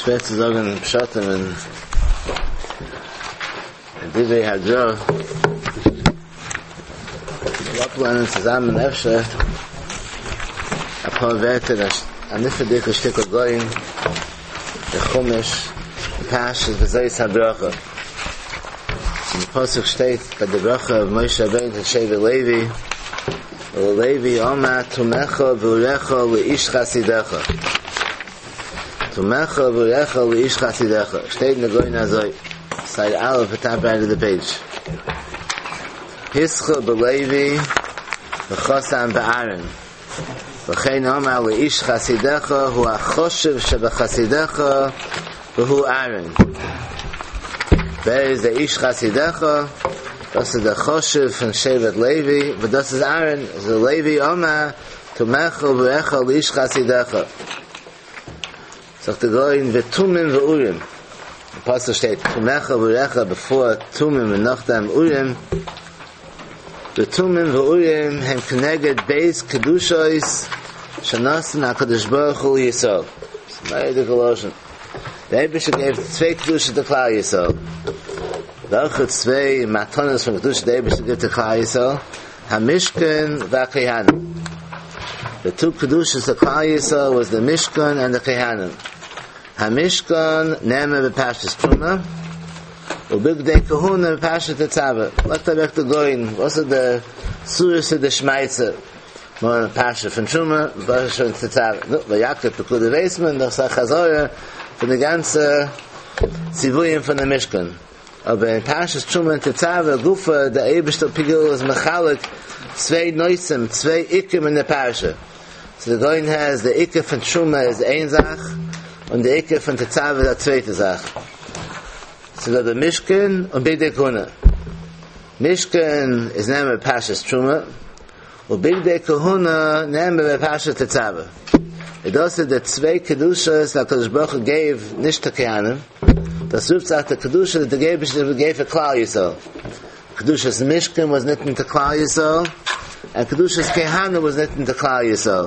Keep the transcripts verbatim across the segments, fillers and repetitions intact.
שווער צו זאגן פשטים אין אין דברי הגרא. מ'זאל אפלערנען צוזאמען אפשר אפאר ווערטער, א נפלא'דיגע שטיקל גאון אין חומש אין פרשת וזאת הברכה. אין די פסוק שטייט ביי די ברכה אויף משה רבינו צו שבט לוי, וללוי אמר תומיך ואוריך לאיש חסידך. תומיך ואוריך לאיש חסידך. שטייט אין די גאון אזוי, סייד א' at top right of the page. התחיל בלוי וחתם באהרן. וכן אמר לאיש חסידך הוא החשוב שבחסידך והוא אהרן. ווער איז דער איש חסידך? דאס איז דער חשוב פון שבט לוי, וואס דאס איז אהרן, איז לוי אמר תומיך ואוריך לאיש חסידך. זאגט דער גאון ותומים ואורים. אין פסוק שטייט תומיך ואוריך בעפאר תומים און נאכדעם אורים. ותומים ואורים הם כנגד ב' קדושות שנתן הקדוש ברוך הוא לישראל. מורא'דיגע לשון. דער אייבערשטער געבט צוויי קדושות צו כלל ישראל. וועלכע צוויי מתנות פון קדושה דער אייבערשטער גיבט צו כלל ישראל? המשכן והכהנים. The two קדושות of כלל ישראל was the משכן and the כהנים. המשכן נאמר בפרשת תרומה, ובגדי כהונה בפרשת תצוה. לייגט אוועק דער גאון, וואס איז די סורסא דשמעתא? נאר אין פרשה פון תרומה, פרשת תצוה. נו, ויקהל פקודי ווייסט מען, דאס איז א חזרה פון די גאנצע ציוויים פון די משכן. אבער אין פרשת תרומה און תצוה גופא, דער אייבערשטער כאילו איז מחלק צוויי נושאים, צוויי עיקרים אין די פרשה. So the גאון has די עיקר פון תרומה איז איין זאך, און די עיקר פון תצוה איז א צווייטע זאך. ס'איז דא די משכן און בגדי כהונה. משכן איז נאמר בפרשת תרומה, און בגדי כהונה נאמר בפרשת תצוה. און דאס איז די צוויי קדושות הקדוש ברוך הוא gave נישט צו כהנים. דאס רופט זיך די קדושה די אייבערשטער gave פאר כלל ישראל. קדושת משכן was ניתן to כלל ישראל, and קדושת כהנים was ניתן to כלל ישראל.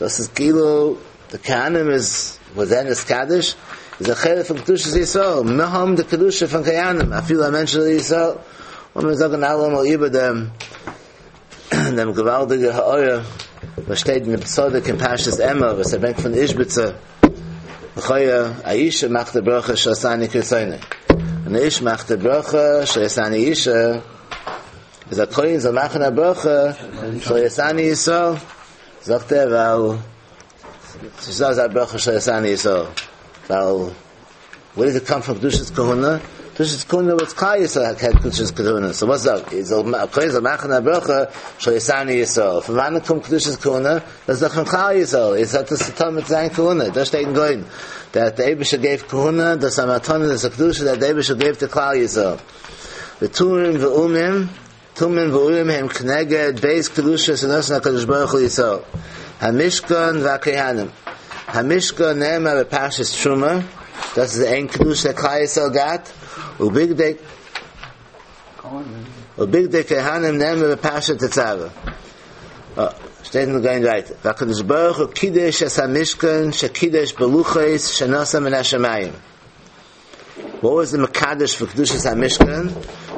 דאס איז כאילו די כהנים איז was then נתקדש איז א חלק פון קדושת ישראל. מיר האבן די קדושה פון כהנים, אפילו א מענטש איז ישראל. און מיר זאגן אלעמאל איבער דעם דעם געוואלדיגע הערה וואס שטייט אין דעם צדוק אין פרשת אמור וואס ער ברענגט פון איזשביצע לכאורה א אישה מאכט די ברכה שעשני כרצונו און א איש מאכט די ברכה שעשני אישה איז א כהן זאל מאכן א ברכה שעשני ישראל זאגט ער ווייל ס'איז אזא ברכה שעשני ישראל ווייל Where does it come from קדושת כהונה? קדושת כהונה was כלל ישראל had קדושת כהונה. So what's that? איז א כהן זאל מאכן א ברכה שעשני ישראל. פון וואנען קומט קדושת כהונה? דאס איז דאך פון כלל ישראל. איז האט עס צו טון מיט זיין כהונה. דאס שטייט אין גאון. That the אייבערשטער gave כהונה, דאס א מתנה, דאס א קדושה that the אייבערשטער gave to כלל ישראל. ותומים ואומים, תומים ואורים הם כנגד ב' קדושות שנתן הקדוש ברוך הוא לישראל. המשכן והכהנים. המשכן נאמר בפרשת תרומה, דאס איז איין קדושה כלל ישראל געהאט, ובגדי ובגדי כהנים נאמר בפרשת תצוה. שטייט אין גאון ווייטער. והקדוש ברוך הוא קידש את המשכן שקידש בלוחות שנתן מן השמים. What was the מקדש for קדושת המשכן?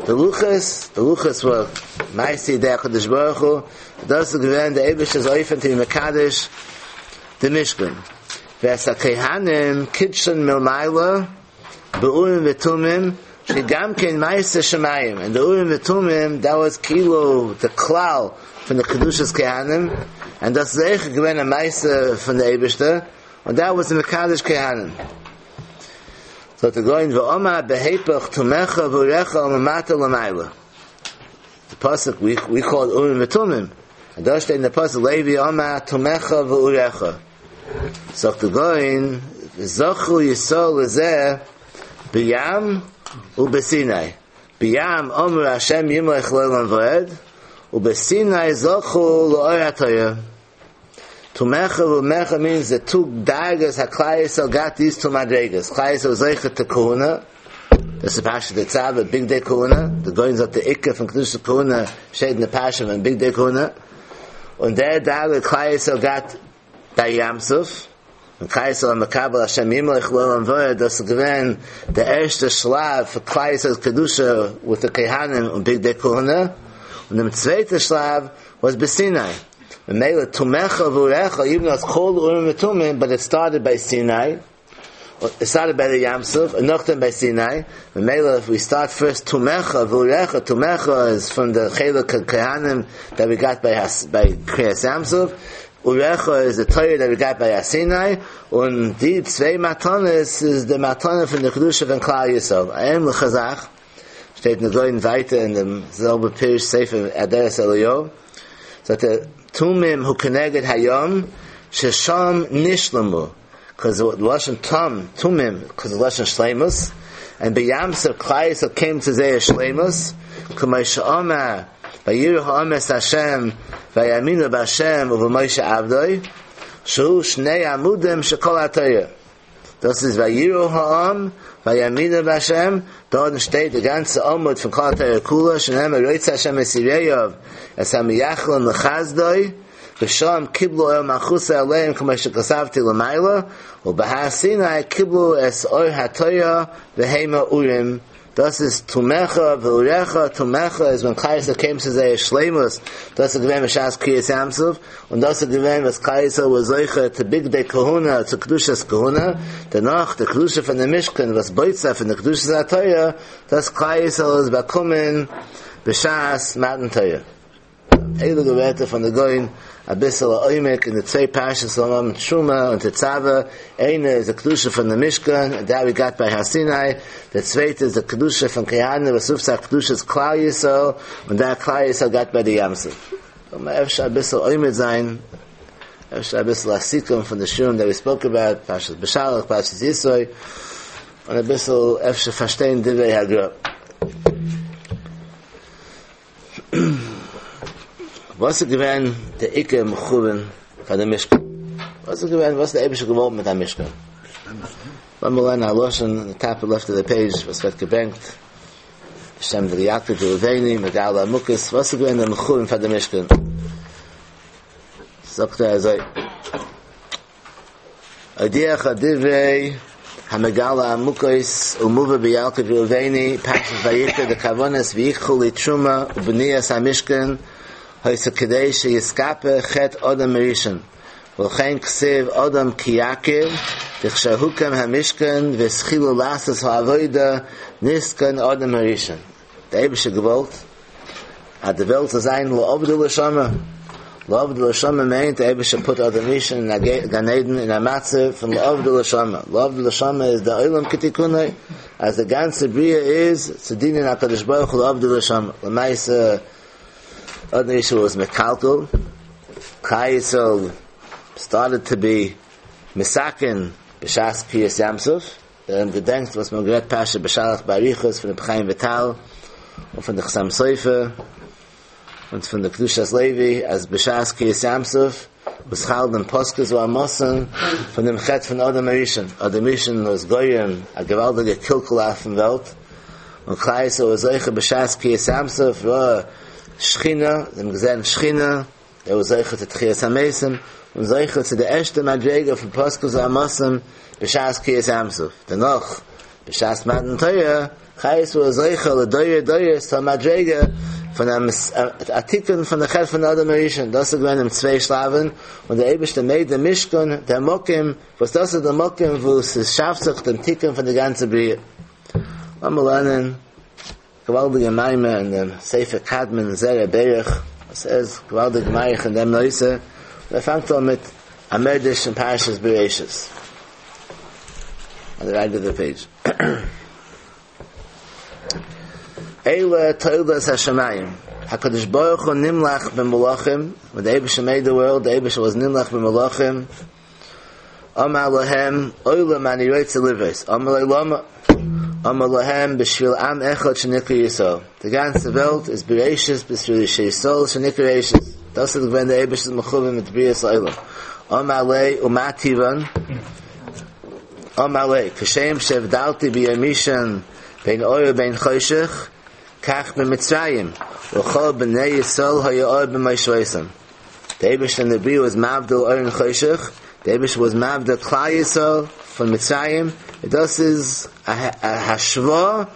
The לוחות, the לוחות were מעשה ידי הקדוש ברוך הוא. דאס איז געווען דער אייבערשטער'ס אופן to be מקדש the משכן. ואת הכהנים קידשן מלמעלה באורים ותומים שגם כן מעשה שמים. And the אורים ותומים that was כאילו the כלל פון the קדושת כהנים, and דאס איז אויך געווען א מעשה פון דער אייבערשטער, and that was the מקדש כהנים. So to go in ואמר בהיפך תומיך ואוריך מלמטה למעלה. The פסוק we we call it אורים ותומים. And דאס שטייט אין the פסוק לוי אמר תומיך ואוריך. זאגט דער גאון זכו ישראל לזה בים ובסיני. בים אמרו השם ימלך לעולם ועד ובסיני זכו לאור התורה. תומיך ואוריך means the two דרגות הכלל ישראל got these two מדרגות. כלל ישראל זוכה to כהונה. דאס איז פרשת תצוה, בגדי כהונה. The גאון זאגט the עיקר פון קדושת כהונה שטייט אין די פרשה פון בגדי כהונה. און דער דרגה כלל ישראל got ביי ים סוף. און כלל ישראל מקבל השם ימלוך לעולם ועד, דאס איז געווען דער ערשטער שלב פאר כלל ישראל'ס קדושה with the כהנים און בגדי כהונה, און דעם צווייטער שלב was בסיני. ממילא תומיך ואוריך, even though it's called Urim ותומים, but it started by Sinai. It started by the ים סוף, and נאכדעם by Sinai. ממילא, if we start first תומיך ואוריך, תומיך is from the חלק כהנים that we got by by קריעת ים סוף. אוריך is the Torah that we got by Sinai, און די צוויי מתנות is the מתנה פון the קדושה פון כלל ישראל. עיין לחז"ך, שטייט אין גאון ווייטער אין דעם זעלבע פירוש ספר אדרת אליהו, that the תומים הוא כנגד הים, ששם נשלמו, because the לשון תם, תומים, because the לשון שלימות, and בים סוף כלל ישראל came to זייער שלימות, כמו שאמר, ויראו העם את השם, ויאמינו בהשם ובמשה עבדו, שהוא שני עמודים של כל התורה. דאס איז ויראו העם, ויאמינו בהשם, דארט שטייט דער גאנצע עמוד פון כל התורה כולה, שנאמר רוצה השם את יראיו, את המייחלים לחסדו, ושם קיבלו עול מלכותו עליהם כמו שכתבתי למעלה, ובהר סיני קיבלו את אור התורה והמה אורים. דאס איז תומיך ואוריך, תומיך is when כלל ישראל came to זייער שלימות, דאס איז געווען בשעת קריעת ים סוף, און דאס איז געווען וואס כלל ישראל was זוכה to בגדי כהונה, צו קדושת כהונה, דערנאך די קדושה פון דעם משכן, וואס בויט זיך פון די קדושת התורה, דאס כלל ישראל איז באקומען בשעת מתן תורה. הייליגע ווערטער פון די גאון, א ביסל עומק אין די צוויי פרשות זאל האבן תרומה און תצוה. איינע איז די קדושה פון דעם משכן, that we got by הר סיני. דער צווייטע איז די קדושה פון כהנים, וואס רופט זיך קדושת כלל ישראל, און that כלל ישראל got by the ים סוף. זאל אפשר א ביסל עומד זיין, אפשר א ביסל א סיכום פון די שיעורים that we spoke about, פרשת בשלח, פרשת יתרו, און א ביסל אפשר פארשטיין דברי הגר"א. וואס איז געווען דער עיקר מכוון פאר דעם משכן? וואס איז געווען, וואס דער אייבערשטער געוואלט מיט דעם משכן? לאמיר לערנען א לשון, the top left of the page, וואס ווערט געברענגט, בשם דער ילקוט ראובני, מגלה עמוקות, וואס איז געווען דער מכוון פאר דעם משכן? זאגט ער אזוי, אודיעך דברי המגלה עמוקות ומובא בילקוט ראובני, פרשת ויקרא, די כוונת ויקחו לי תרומה ובניית המשכן, היתה כדי שיתכפר חטא אדם הראשון, ולכן כתיב אדם כי יכיר, דכשהוקם המשכן והתחילו לעשות העבודה נתקן אדם הראשון. דער אייבערשטער געוואלט אז די וועלט זאל זיין לעבדה ולשמרה. לעבדה ולשמרה מיינט דער אייבערשטער put אדם הראשון אין א גן עדן אין א מצב פון לעבדה ולשמרה. לעבדה ולשמרה איז די עולם כתיקונו, אז די גאנצע בריאה איז צו דינען הקדוש ברוך הוא לעבדה ולשמרה. למעשה אדם הראשון was מקלקל, כלל ישראל started to be מתקן בשעת קריעת ים סוף. דער עולם געדענקט וואס מ'האט גערעדט פרשת בשלח באריכות פון רבי חיים וויטאל און פון די חתם סופר און פון די קדושת לוי אז בשעת קריעת ים סוף וואס חל דעם פסקו ואמתן פון דעם חטא פון אדם הראשון. אדם הראשון was גורם א געוואלדיגע קלקול אויפן וועלט, און כלל ישראל was זוכה בשעת קריעת ים סוף ראה שכינה, זיי האבן געזען שכינה, ער was זוכה צו תחיית המתים, און זוכה צו די ערשטע מדרגה פון פסקו ואמתן בשעת קריעת ים סוף. דערנאך, בשעת מתן תורה, כלל ישראל was זוכה לדורי דורות צו א מדרגה פון א תיקון פון די חטא פון אדם הראשון. דאס איז געווען אין צוויי שלבים, און דער אייבערשטער made דעם משכן, דער מקום, וואס דאס איז דער מקום וואו עס שאפט זיך דעם תיקון פון די גאנצע בריאה. לאמיר לערנען געוואלדיגע מאמר אין דעם ספר קדמון זרע ברך, וואס ער איז געוואלדיג מאריך אין דעם נושא, און ער פאנגט אן מיט א מדרש אין פרשת בראשית, on the right of the page. אלה תולדות השמים, הקדוש ברוך הוא נמלך במלאכים, when the אייבערשטער made the world, the אייבערשטער was נמלך במלאכים, אמר להם, עולם אני רוצה לבראות, אמרו לו למה? אמר להם, בשביל עם אחד שנקרא ישראל. די גאנצע וועלט איז בראשית בשביל ישראל שנקרא ראשית. דאס איז געווען דער אייבערשטער'ס מכוון מיט בריאת העולם. אמר ליה, ומה טיבן? אמר ליה, כשם שהבדלתי ביום ראשון בין אור ובין חושך, כך במצרים, וכל בני ישראל היה אור במושבותם. דער אייבערשטער אין די בריאה איז מבדיל אור און חושך, The Eibush was Mavda Klal Yisrael from Mitzrayim. Das is a, a hashva,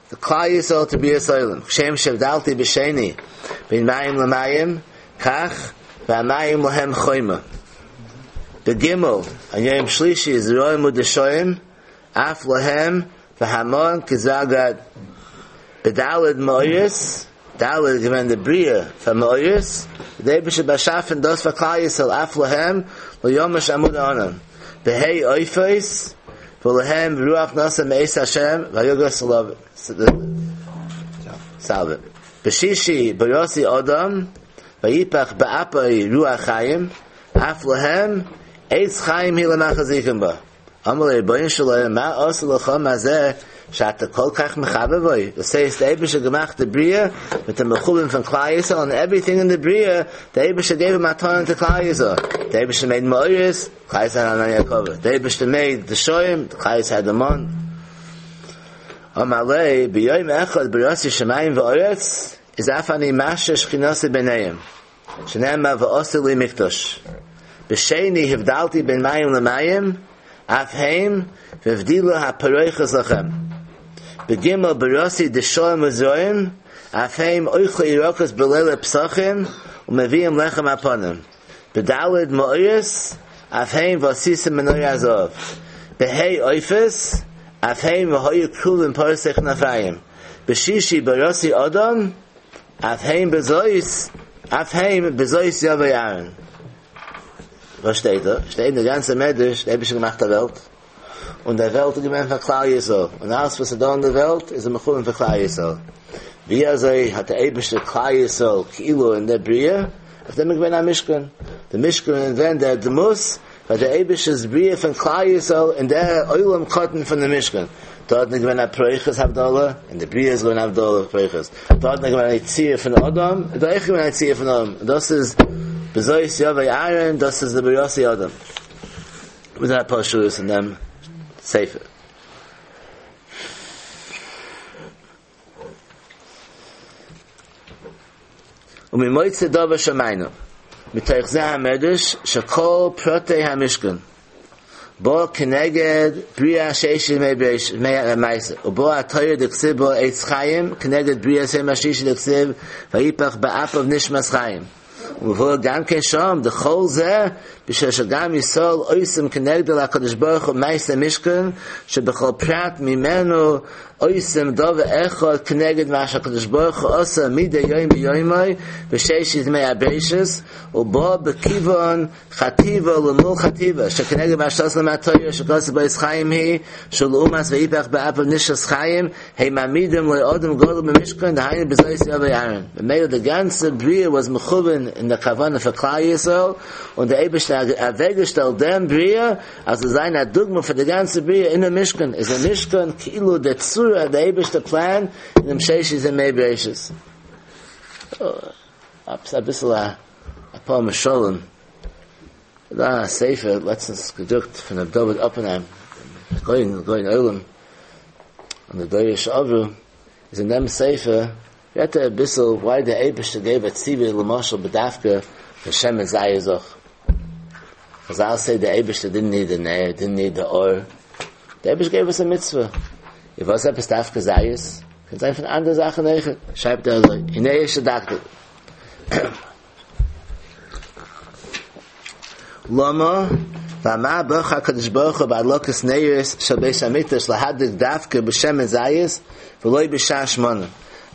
the Klal Yisrael to be a Soilim. Shem Shevdalti B'Sheni, Bin Mayim L'Mayim, Kach, V'Amayim Lahem Choyma. The Gimel, and Yom Shlishi is Roim Udeshoim, Af Lahem, V'Hamon Kizagad, B'Dalid Moyis, Dalid given the Bria from Moyis, the Eibush Bashafen dos v'Klal Yisrael, Af Lahem, L'Yomash Amud Onam. B'Hei Oifos, V'Lahem Ruach Nasa Me'es Hashem, V'Yoga Salav, Salve. B'Shishi B'Yosi Odom, V'Yipach Ba'apai Ruach Chaim, Af Lahem, Eitz Chaim Hi L'Machazikim Ba. Amalei Boyin Shalom, Ma Osa L'Chom Hazeh, Shata Kol Kach Mechavavoy. Das heißt, der Eibische gemacht die Bria mit dem Mechubim von Klal Yisrael and everything in the Bria, der Eibische gave him Matan to Klal Yisrael. Der Eibische made Moiris, Klal Yisrael had Yaakov. Der Eibische made the Shoyim, Klal Yisrael had the Mon. Amalei, B'yoyim Echad, B'yosi Shemayim V'oretz, is Afani Masha Shchinose B'neiim. Shenema V'osi Li Mikdosh. B'sheini Hivdalti Ben Mayim L'Mayim, Af Heim, V'vdila HaParoichas Lachem. Begimel Barosi Deshoim Uzoim, Afheim Oichle Irokas Belele Psachim, Umeviim Lechem Aponim. Bedalid Moiris, Afheim Vasisim Menoy Azov. Behei Oifes, Afheim Vahoyu Kruvim Parsech Nafayim. Beshishi Barosi Odom, Afheim Bezois, Afheim Bezois Yavei Aaron. Was steht da? Steht in der ganzen Medrash, der Eibische gemacht der Welt. Und der Welt ist gemeint von Klal Yisrael. Und alles, was er da in der Welt, ist ein Mechubim für Klal Yisrael. Wie also hat der Eibische Klal Yisrael Kilo in der Bria, auf dem gewinnt ein Mishkan. Der Mishkan, wenn der Demus, weil der Eibische ist Bria von Klal Yisrael in der Eulam Kotten von der Mishkan. Dort nicht gewinnt ein Proiches Havdalah, in der Bria ist gewinnt Havdalah Proiches. Dort nicht gewinnt ein Zier von Adam, dort nicht gewinnt ein Zier von Adam. Das ist Bezois Yavei Aaron, das ist der Berosi Adam. With that Pashus and them Sefer. Umimoitze dova shamaynu. Mitoich zeh hamedrash shekol protei hamishkan. Bo keneged bria sheish mei beish mei ma'ase. Ubo atoyer d'ksiv bo eitz chayim keneged bria seim hashish d'ksiv vayipach ba'apav nishmas chayim. ובוא גם כן שם, דכל זה, בשביל שגם ישראל אויסם כנגד לקדוש ברוך הוא מייסה משכן, שבכל פרט ממנו אויסם דוב אחד כנגד מה שהקדוש ברוך הוא עושה מדי יום ביומי, בשש ימי הברשס, ובוא בכיוון חטיבה למול חטיבה, שכנגד מה שעושה למטויה, שכוסה בו חיים היא, שלאומס ואיפך באפו נשס חיים, הם מעמידים לאודם גודל במשכן, דהיינו בזויס יובי אהרן. במילא the ganze Bria was mechuven in der Kavana für Klal Yisrael, und der Eibischte weggestellt dem Bria, also sein a Dugma für die ganze Bria in der Mishkan, ist der Mishkan Kilo der Zura, der Eibischte Plan, in dem Sheish in Mei Bereishis. A bisschen a, a paar Mesholim. Da Sefer, letztens gedruckt von David Oppenheim, going, going Olam, und der Doirish Avru, ist in dem Sefer, Yet a bissel, why the Eibischte gave a tzivi l'moshel b'dafka for Shem and Zayizoch. Because I'll say the Eibischte didn't need the Neir, didn't need the Or. The Eibischte gave us a mitzvah. If was etwas dafka Zayis, kann sein von anderen Sachen eichen. Schreibt er so, Hinei ist der Lama, v'ama b'cha kadosh baruch hu ba'adlokas neiris shel beis hamikdash lahadik dafka b'shem and Zayis v'loi b'shah shmona.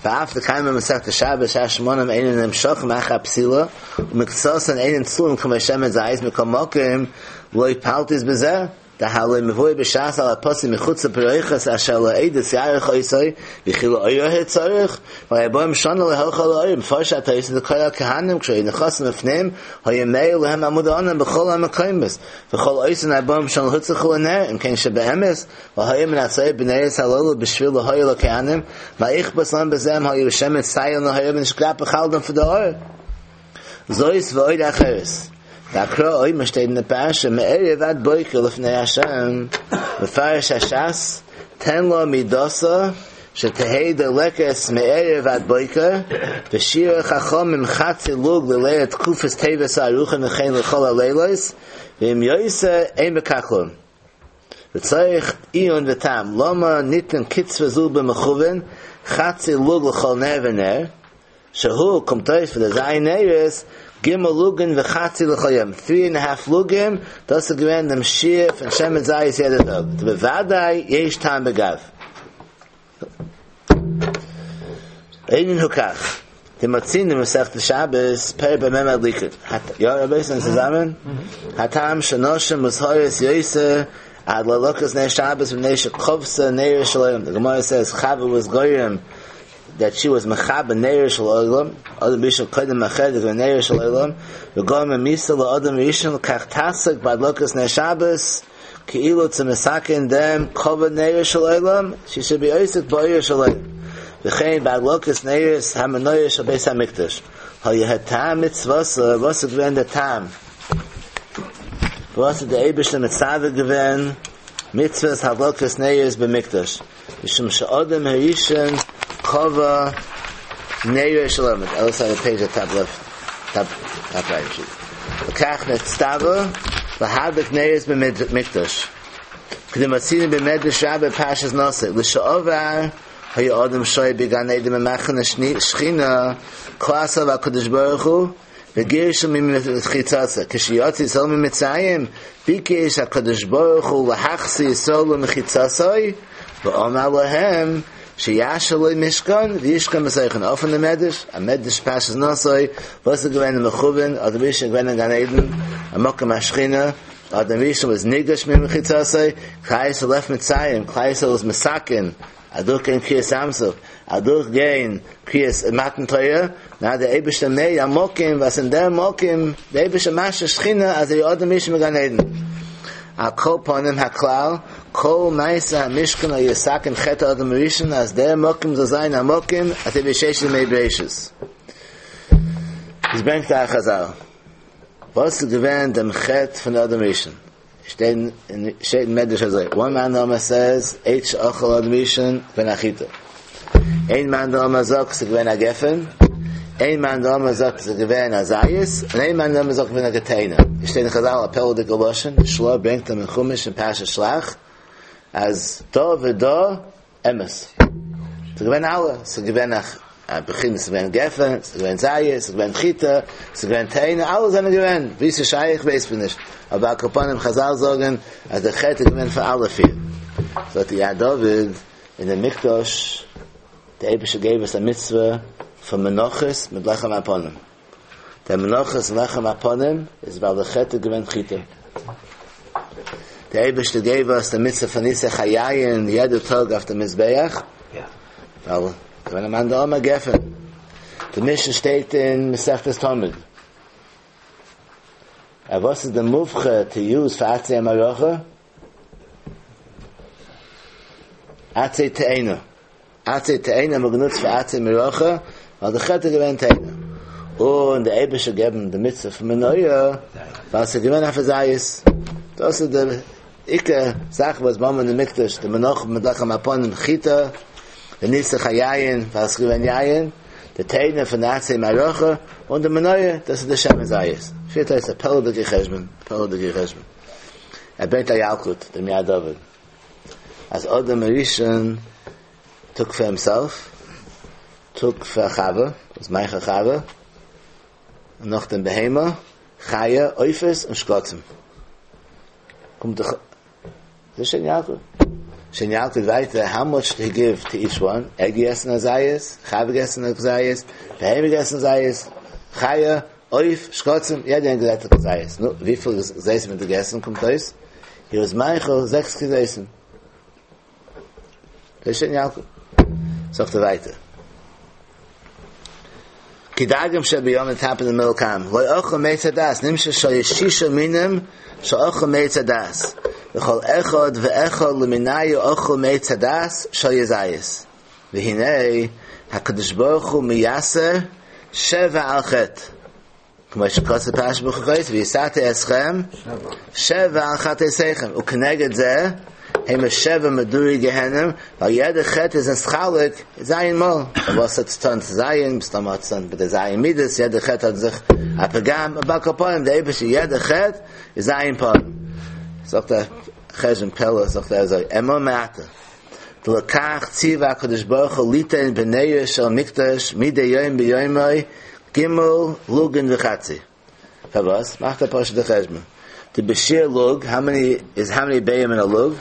ואף לקיים במסכת השבת שהשמונם אינן נמשוך מאחר הפסילה ומקצוסן אינן צלום כמו שמן זית מכל מקום לא יפלטיס בזה דהלא מבוי בש"ס על הפוסק מחוץ לפרחס אשר לא עדס יערך אויסוי וכי לא אוירה הצורך ויבוא משונה להלכה לאויר מפרש התייס לכל הכהנים כשהיו נכנסים לפניהם היה מאיר להם עמוד העונן בכל המקומס וכל אויסן הבוא משונה להוצרכו לנר אם כן שבאמס והיה מנצאי בני הללו בשביל להויר לכהנים ויכבס להם בזם היה בשם ציין להויר ונשקרא בחלדם פדאור זויס ואויר אחרס והקרא אוי משתי נפש מערב עד בוקר לפני השם מפרש הש"ס תן לו מידוסה שתהא דולקת מערב ועד בוקר, ושיעור חכמים חצי לוג לליל תקופת טבת הארוכה וכן לכל הלילות, ואם יותר אין בכך כלום. וצריך עיון וטעם, למה ניתן קצבה זו במכוון, חצי לוג לכל נר ונר, שהוא קומט אויס פאר די ז' נרות, ג' לוגין וחצי לכל יום, three and a half לוגים, דאס איז געווען דעם שיעור פון שמן זית יעדע טאג, דבוודאי יש טעם בגב. הענין הוא כך, דמצינו במסכת שבת, פרק במה מדליקין, יא רבותי זענען צוזאמען? הטעם שנשים מוזהרות יותר על הדלקת נר שבת מפני שכבתה נרות של עולם, די גמרא says חוה was גורם that she was מכבה נרות של עולם, אדם הראשון קודם החטא איז געווען נרות של עולם, וגרמה מיתה לאדם הראשון לכך תעסוק בהדלקת נר שבת, כאילו צו מתקן דעם כבה נרות של עולם, she should be עוסק באור של עולם. וכן בהדלקת נרות המנורה של בית המקדש. היה הטעם מצוותה, וואס איז געווען דער טעם? וואס האט דער אייבערשטער מצווה געווען מצוות הדלקת נרות במקדש? משום שאדם הראשון כבה נרות של עולם, other side of the page at top left, top, top right. לכך נצטווה להדליק נרות במקדש. כדמצינו במדרש רבה פרשת נשא, לשעבר היה אדם שוהה בגן עדן במחנה שכינה, כעס עליו הקדוש ברוך הוא, וגירשו ממחיצתו. כשיצא ישראל ממצרים, ביקש הקדוש ברוך הוא להחזיר ישראל למחיצתו, ואמר להם, שיעשה לו משכן וישכון בתוכן. אויף דעם מדרש, א מדרש פרשת נשא, וואס איז געווען מכוון, אדם הראשון געווען אין גן עדן, א מקום השכינה, אדם הראשון was נגרש ממחיצתו, כלל ישראל left מצרים, כלל ישראל was מתקן, אדורך קריעת ים סוף, אדורך גיין קריאת מתן תורה, נא דער אייבערשטער made א מקום, וואס אין דער מקום, דער אייבערשטער משרה שכינה, אז ער אדם הראשון בגן עדן. על כל פנים הכלל, כל מעשה המשכן היה לתקן חטא אדם הראשון, אז דער מקום זאל זיין א מקום, אזוי ווי ששת ימי בראשית. עס ברענגט א חזל. וואס איז געווען דעם חטא פון אדם הראשון? שטייט אין שטייט אין מדרש אזוי. One מאן דאמר says, עץ שאכל אדם הראשון געווען א חיטה. איין מאן דאמר זאגט, ס'איז געווען א גפן. איין מאן דאמר זאגט, ס'איז געווען א זית. און איין מאן דאמר זאגט, געווען א תאנה. עס שטייט אין חזל, א פלא'דיגע לשון. של"ה ברענגט אין חומש אין פרשת שלח, אז דא ודא אמת. ס'איז געווען אלע. ס'איז געווען א א בחינה, ס'איז געווען גפן, ס'איז געווען זית, ס'איז געווען חיטה, ס'איז געווען תאנה, אלע זענען געווען, ווי ס'איז שייך ווייס מען נישט, אבער על כל פנים חזל זאגן אז דער חטא איז געווען פאר אלע פיר. זאגט די יד דוד אין דער מקדש, דער אייבערשטער געב אונז א מצוה פון מנחות מיט לחם הפנים. דער מנחות און לחם הפנים איז ווייל דער חטא איז געווען חיטה. דער אייבערשטער געב אונז די מצוה פון ניסוך היין יעדע טאג אויף דעם מזבח, ווייל געווען א מאן דאמר גפן. די משנה שטייט אין מסכת תמיד. א וואס איז די מובחר to use for עצי המערכה? עצי תאנה. עצי תאנה האט מען גענוצט פאר עצי מערכה, ווייל די חטא איז געווען תאנה. און דער אייבערשטער געבן די מצוה פון מנורה, ווייל ס'איז געווען אויף א זית. דאס איז די עיקר זאך וואס מ'האט אין די מקדש, די מנחה מיט לחם הפנים חיטה, די ניסוך היין, ווייל ס'איז געווען יין, די תאנה פון די עצי מערכה, און די מנורה, דאס איז די שמן זית. פירט אויס א פלא'דיגע חשבון, פלא'דיגע חשבון. ער ברענגט א ילקוט, דעם יד דוד, אז אדם הראשון took for himself, took for חווה, was מאכל חווה, און נאך דעם בהמה, חיה, עופות און שקצים. קומט דאך דאס שטייט אין ילקוט. שטייט אין ילקוט ווייטער, how much did he give to each one? ער געגעסן א זית, חווה געגעסן א כזית, בהמה געגעסן א זית, חיה, עוף, שקצים, יעדער איינער געגעסן א כזית. נו, וויפיל כזיתים האט ער געגעסן קומט אויס? He was מאכל זעקס כזיתים. דאס שטייט אין ילקוט. זאגט ער ווייטער. כדגים שבים אין top of the middle column. לא אכל מעץ הדעת, נמשך שהיו שישה מינים שאכל מעץ הדעת. וכל אחד ואחד למינייהו אכל מעץ הדעת שהיה זית. והנה הקדוש ברוך הוא מייסר שבע על חטא. כמו שכתוב פרשת בחוקותי, ויסרתי אתכם שבע על חטאתיכם. וכנגד זה, Heim Sheva Meduri Gehenim, weil jeder Chet ist ein Schalik, Zayin Mol. Was hat zu tun zu Zayin, Stam hat zu tun mit der Zayin Midas, jeder Chet hat sich a Pagam, a Bakaponim, der Eibische, jeder Chet ist Zayin Pam. Sagt der Chesem Pella, sagt er so, Emo Me'ata. Lekach tziva HaKadosh Baruch Hu litein b'nei shel mikdash midei yom b'yomai gimel lugin v'chatzi. Favas, macht der Pasha de Cheshma. The Bashir lug, how many is how many bayim in a lug?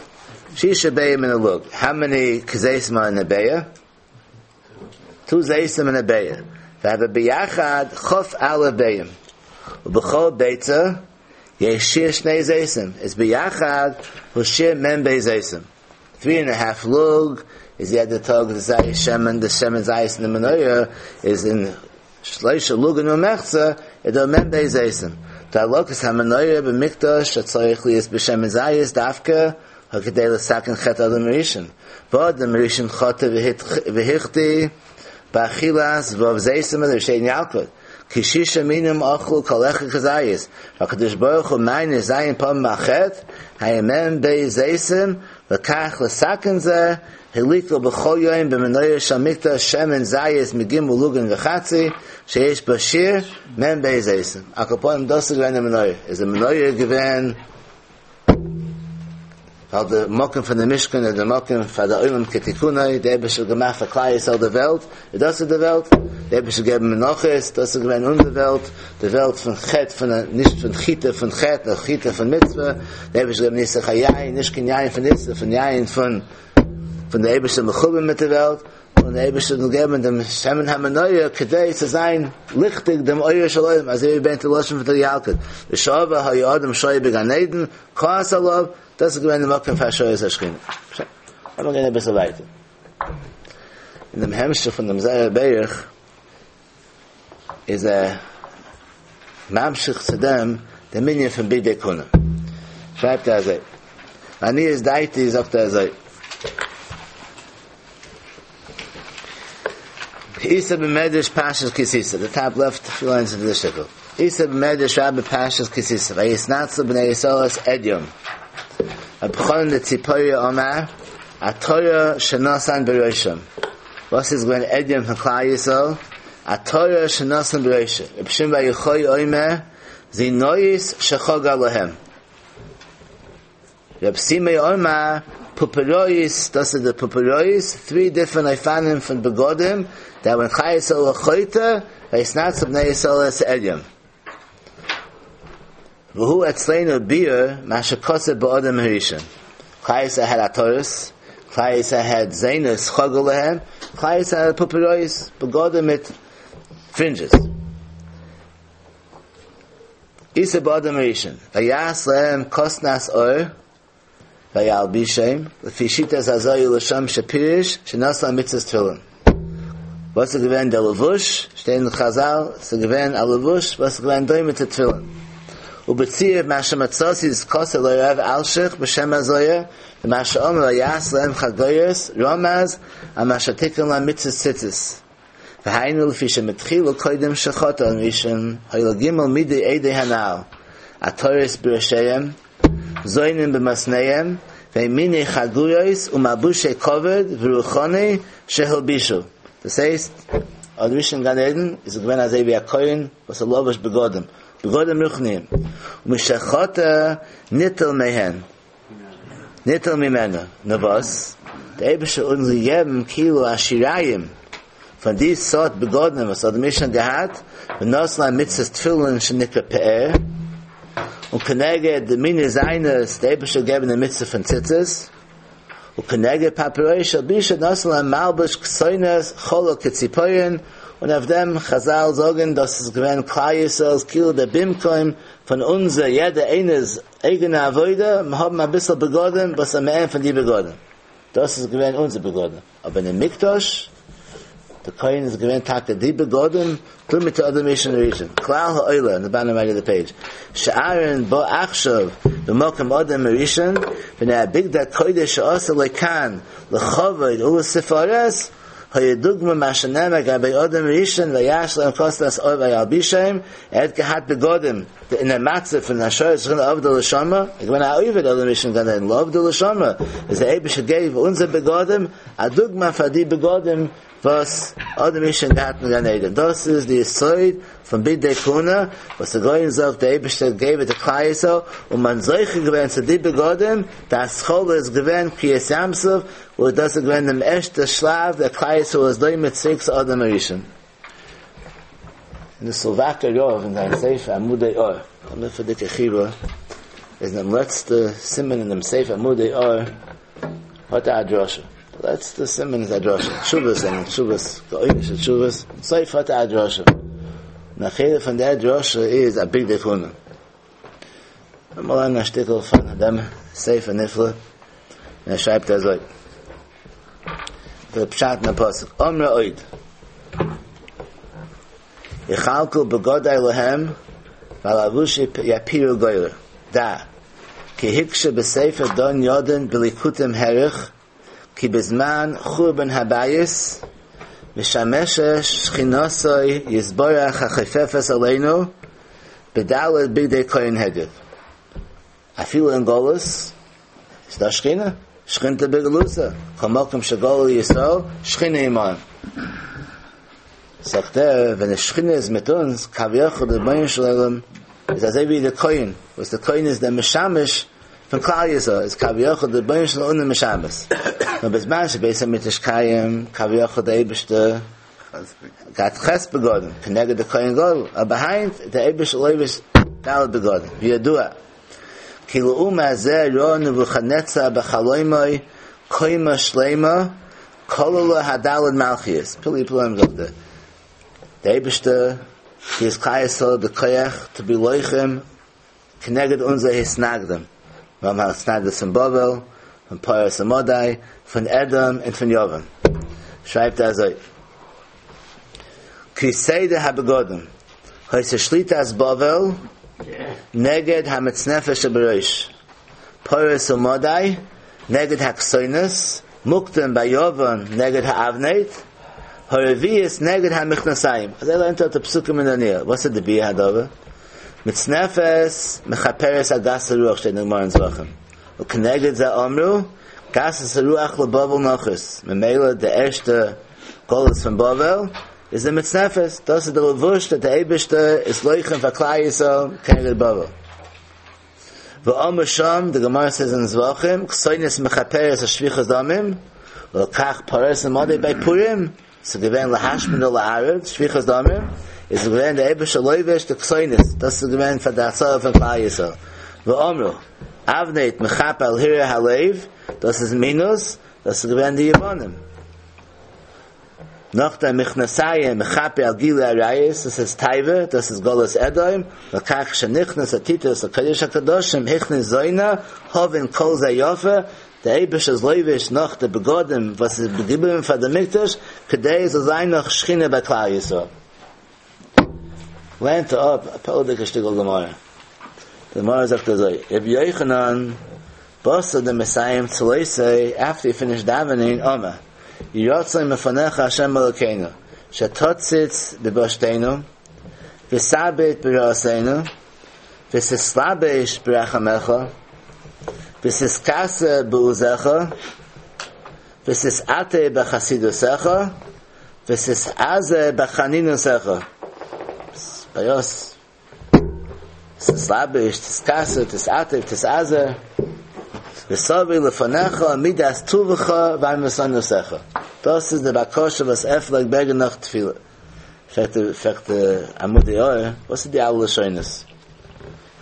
Shisha bayim in a lug. How many kzeisma in a bayah? Two zeisim in a bayah. V'hava biyachad chof aleph bayim. U'b'chol beitza yesh shir shnei zeisim. Is biyachad hu shir mem bei zeisim. Three and a half lug is the other tog the zayis shemen the shemen zayis in the menorah is in shleisha lug and umechza it mem bei zeisim. Ta'alokas ha'menoyah b'mikdash atzorich liyis b'shem zayis dafka ha'kidei l'saken chet adam rishon. V'od the rishon chote v'hichti ba'achilas v'ov zeisim el rishein yalkot. Kishisha minim ochlu kol echa kazayis. HaKadosh Baruch Hu ma'in zayin pam ma'chet ha'yemem bei zeisim v'kach l'saken zeh Hiliko b'chol yoyim b'menoyah shel mikdash shemen zayis megim ulugin v'chatzi sheyesh bashir mem bei zeisim. Akaponim das ist gewesen der Menoyah. Is the Menoyah gewesen weil der Mokken von der Mishkan und der Mokken von der Olam Ketikunai, der Eibische gemacht für Klai Yisrael der Welt, das ist die Welt, der Eibische gegeben Menoches, das ist gewesen unsere Welt, die Welt von Chet, von der, nicht von Chite, von Chet, noch Chite von Mitzvah, der Eibische gegeben Nisa Chayayin, nicht kein Yayin von Nisa, von Yayin von, von der Eibische Mechubim mit der Welt, und der Eibische gegeben dem Shemen HaMenoyah, kedei zu sein, lichtig dem Oyer Shalom, also wie ben Teloshim von der Yalkut. The Shava HaYodem Shoy Began Eden, Koas Alav, das ist gewesen der Mokken von Hashoyes Hashchina. Aber wir gehen ein bisschen weiter. In dem Hemmsche von dem Zayar Beirch ist er Mamshich zu dem, der Minyan von Bidei Kuna. Schreibt er so. Ani ist Daiti, sagt er so. Isa b'medrash Pashas Kisisa, the top left few lines of the shtickle. Isa b'medrash Rabbi Pashas Kisisa, vayisnatzu b'nei Yisrael Edyom. Abchon the Tziporia Omar, Atoya Shenosan Beroshim. Was is going Edyom from Klal Yisrael? Atoya Shenosan Beroshim. Ibshim Vayichoy Omer, Zinoyis Shechog Alohem. Reb Simei Omar, Puperois, das are the Puperois, three different Ifanim from Begodim, that when Klal Yisrael Choyta, Vayisnatzu b'nei Yisrael es Edyom. V'hu etzleinu bir, masha kose ba'odem harishon. Klal Yisrael had Atoris, Klal Yisrael had Zainus, Chogolahem, Klal Yisrael had Puperois, Begodim mit fringes. Isa ba'odem harishon. Vayas lehem kosnas or, vayal bishem, lefi shitas hazoyu l'sham shapirish, shenas la mitzvahs tefillin. Was ist gewesen der Levush? Stehen in Chazal, ist gewesen a Levush, was ist gewesen doime zu tefillin. Ubetzir masha matzasi is kose lo Rav Alshich b'shem hazoyer, v'masha omer yas lehem chagoyers, romaz, amasha tikun la mitzvah tzitzis. V'hainu l'fi shemetchilu koydem shechota on rishon, hoylo gimel midi eidei hanal, atoris b'rashayim, zoinim b'masneyem, ve'mini chaguyois umabushe koved v'ruchoni shehilbishu. Das heißt, an Rishon Gan Eden ist gewesen als wie a Kohen, was a lovish begodim. Begodim ruchnim. Umishachota nittel mehen. Nittel mimena. Na was? Der Eibische uns gegeben kilo ashirayim. Von dies Sort begodim, was hat der Mishnah gehabt, benosla mitzvahs tefillin shenikra pe'er, und kenege de mine seines, der Eibische gegeben der mitzvah von Tzitzis, und kenege paperoi shel bisha nosla malbush ksoines cholo ketzipoyen, und auf dem Chazal sagen, dass es gewähnt Klal Yisrael's Kilo der Bimkoim von unser jeder eines eigene Avoide, wir haben ein bisschen begonnen, was am Ende von die begonnen. Das ist gewähnt unser begonnen. Aber in dem Mikdash, der Kohen ist gewähnt Tag die begonnen, tu mit der other mission region. Klal ha'oila, in the bottom right of the page. She'aron bo achshav, b'mokem odem rishon, v'nei abigda kodesh she'asa lekan, l'chavod ulu sefares, הידוגמא מה שנאמר גבי אדם ראשון ויעש להם כתנת עור וילבישם, ער האט געהאט בגדים אין דער מצב פון השראת שכינה עבדה לשמה, ער איז געווען א עובד אדם ראשון גן עדן, לא עבדה לשמה, איז דער אייבערשטער געב אונזער בגדים א דוגמא פאר די בגדים וואס אדם הראשון געהאט אין גן עדן, דאס איז די יסוד פון בגדי כהונה, וואס די גאון זאגט דער אייבערשטער געב די כלל ישראל, און מען זוכה געווען צו די בגדים, די התחלה איז געווען קריעת ים סוף, וואס דאס איז געווען דעם ערשטע שלב, דער כלל ישראל איז דומה צוריק צו אדם הראשון. אין די סלאוואקער רב אין זיין ספר עמודי אור, א מופלא'דיגע חיבור, איז אין דעם לעצטע סימן אין דעם ספר עמודי אור, האט ער א דרשה, די לעצטע סימן איז א דרשה, תשובות זענען תשובות, גאונישע תשובות, סוף האט ער א דרשה, און א חלק פון דער דרשה איז א בגדי כהונה. לאמיר לערנען א שטיקל פון דעם ספר נפלא, און ער שרייבט אזוי, דער פשט אין פסוק, אמרה עוד, יכלכל בגדי להם ועל לבושי יפירו גורל, דע, כי הקשה בספר דן ידין בליקוטים הערך, כי בזמן חורבן הבית משמשת שכינתו יתברך החופפת עלינו בד' בגדי כהן הדיוט. אפילו אין גלות איז דא שכינה, שכינתא בגלותא, כל מקום שגלו ישראל, שכינה עמהם. זאגט ער, ווען די שכינה איז מיט אונז, כביכול דער רבונו של עולם איז אזוי ווי דער כהן, וואס דער כהן איז דער משמש פון כלל ישראל, איז כביכול דער רבונו של עולם משמש. נאר בזמן שבית המקדש קיים, כביכול דער אייבערשטער געהאט ח' בגדים, כנגד דער כהן גדול, אבער היינט דער אייבערשטער לובש ד' בגדים, וידוע כי לעומת זה ראה נבוכדנצר בחלומו קומה שלימה כללה הד' מלכיות, פלאי פלאים זאגט ער, דער אייבערשטער גיבט כלל ישראל די כח to be לוחם כנגד אונזערע התנגדים, מיר האבן התנגדות פון בבל, פון פרס ומדי, פון אדום און פון יוון. שרייבט ער אזוי, כי סדר הבגדים היתה שליטת בבל נגד המצנפת שבראש, פרס ומדי נגד הכתונת, מוקדם ביוון נגד האבנט, הרביעית נגד המכנסיים. אזוי לערנט ער די פסוקים אין דניאל. וואס איז די ביאור הדבר? מצנפת מכפרת על גסות הרוח שטייט אין גמרא אין זבחים. וכנגד זה אמרו, גסות הרוח לבבל נחית. ממילא די ערשטע גלות פון בבל איז די מצנפת. דאס איז די לבוש that די אייבערשטער איז לוחם פאר כלל ישראל כנגד בבל. ואמר שם, די גמרא says אין זבחים, כתונת מכפרת על שפיכות דמים, ולכך פרס ומדי ביי פורים, ס'איז געווען להשמיד ולאבד, שפיכות דמים, איז געווען דער אייבערשטער לובש די כתונת, דאס איז געווען פאר די הצלה פון כלל ישראל. ואמרו, אבנט מכפר על הרהור הלב, דאס איז מינות, דאס איז געווען די יוונים. נאך דעם מכנסיים מכפר על גילוי עריות, דאס איז תאווה, דאס איז גלות אדום, לכך שנכנס טיטוס לקודש הקדשים הכניס זונה, הבין כל זה יפה, דער אייבערשטער איז לובש נאך די בגדים וואס איז געבליבן פאר די מקדש, כדי עס זאל זיין נאך שכינה ביי כלל ישראל. לערנט ער אפ א פלא'דיגע שטיקל גמרא. די גמרא זאגט אזוי, רבי יוחנן בתר דמסיים צלותיה, after he finished davening, אמר, יהי רצון מלפניך השם אלוקינו, שתציץ בבושתנו, ותביט ברעתנו, ותתלבש ברחמיך, ותתכסה בעוזך, ותתעטף בחסידותך, ותתאזר בחנינותך. ביוס. תתלבש, תתכסה, תתעטף, תתאזר. ותביא לפניך מידת טובך וענוותנותך. דאס איז די בקשה וואס ער פלעגט בעטן נאך תפילה. פרעגט פרעגט עמודי אור, וואס איז די אלע לשונות?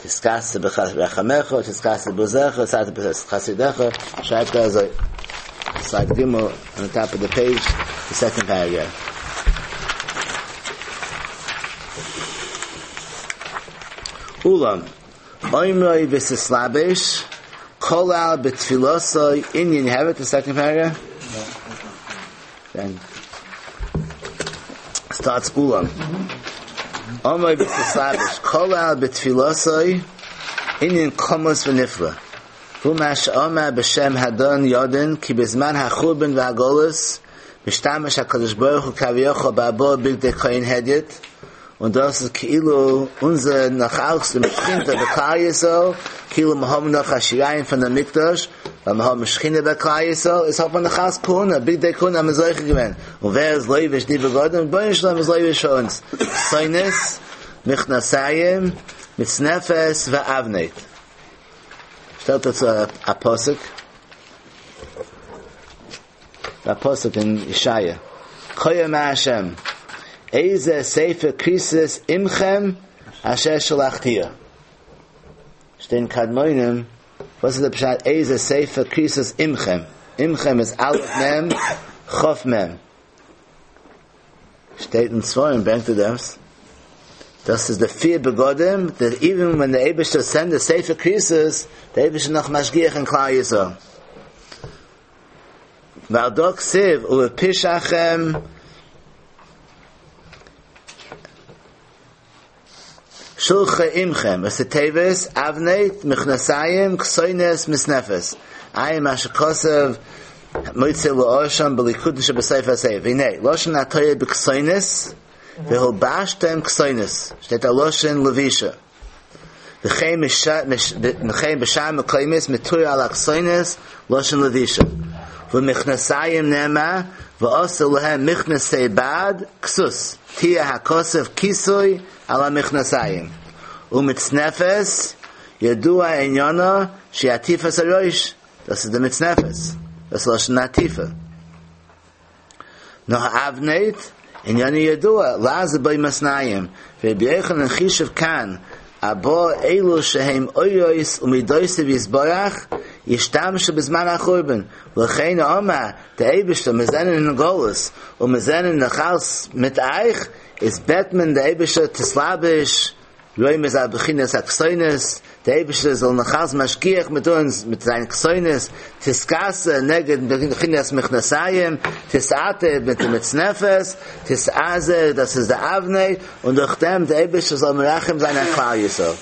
תתכסה ברחמיך, תתכסה בעוזך, תתעטף בחסידותך, שרייבט ער אזוי. Slide Gimel on the top of the page, the second paragraph. אולם, אומרו ותתלבש, כלל בתפילתו ענין, you have it, the second paragraph? Then starts אולם. אומרו ותתלבש, כלל בתפילתו ענין כמוס ונפלא. והוא מה שאמר בשם הדן ידין, כי בזמן החורבן והגלות, משתמש הקדוש ברוך הוא כביכול בארבעה בגדי כהן הדיוט, און דאס איז כאילו אונזער נאך אלץ די שכינתא בכלל ישראל, כאילו מיר האבן נאך א שיריים פון דער מקדש, ווייל מיר האבן שכינה בכלל ישראל, איז האט מען נאך אלץ כהונה, בגדי כהונה האבן מיר זוכה געווען, און ווער איז לובש די בגדים? רבונו של עולם איז לובש פאר אונז, כתונת, מכנסיים, מצנפת ואבנט. שטעלט ער צו א פסוק, א פסוק אין ישעיה, כה אמר השם, איזה ספר כריתות עמכם אשר שלחתיה. שטייט אין קדמונים, וואס איז די פשט איזה ספר כריתות עמכם? עמכם איז א' מ' כ' מ'. שטייט אין ספרים ברענגט ער דאס, דאס איז די פיר בגדים, that even when the אייבערשטער send the ספר כריתות, די אייבערשטער נאך משגיח אין כלל ישראל. ועל דא כתיב ובפשעכם שלחה עמכם, ראשי תיבות, אבנט, מכנסיים, כתונת, מצנפת. עיין מה שכתב מוציא לאור שם בליקוטין שבסוף הספר. והנה, לשון התורה בכתונת, והלבשתם כתונת. שטייט א לשון לבישה. וכן בשאר מקומות מתואר על הכתונת לשון לבישה. ומכנסיים נאמר ועשו להם מכנסי בד כסות, תיאר הכתוב כיסוי על המכנסיים. ומצנפת ידוע עניינה שהיא עטיפת הראש, דאס איז די מצנפת, דאס איז לשון עטיפה. נאר אבנט, עניינו ידוע, לעזור בו מתניים, ורבי יוחנן חישב כאן, ארבעה אלו שהם אורות ומידותיו יתברך, ישתמשו בזמן החורבן, ולכן אמר, דער אייבערשטער, מיר זענען אין גלות, און מיר זענען נאך אלץ מיט אייך, איז בעט מען דער אייבערשטער תתלבש, רומז על בחינת הכתונת, דער אייבערשטער זאל נאך אלץ משגיח מיט אונז מיט זיין כתונת, תתכסה נגד בחינת מכנסיים, תתעטף מיט די מצנפת, תתעזר, דאס איז די אבנט, און דורך דעם דער אייבערשטער זאל מרחם זיין אויף כלל ישראל.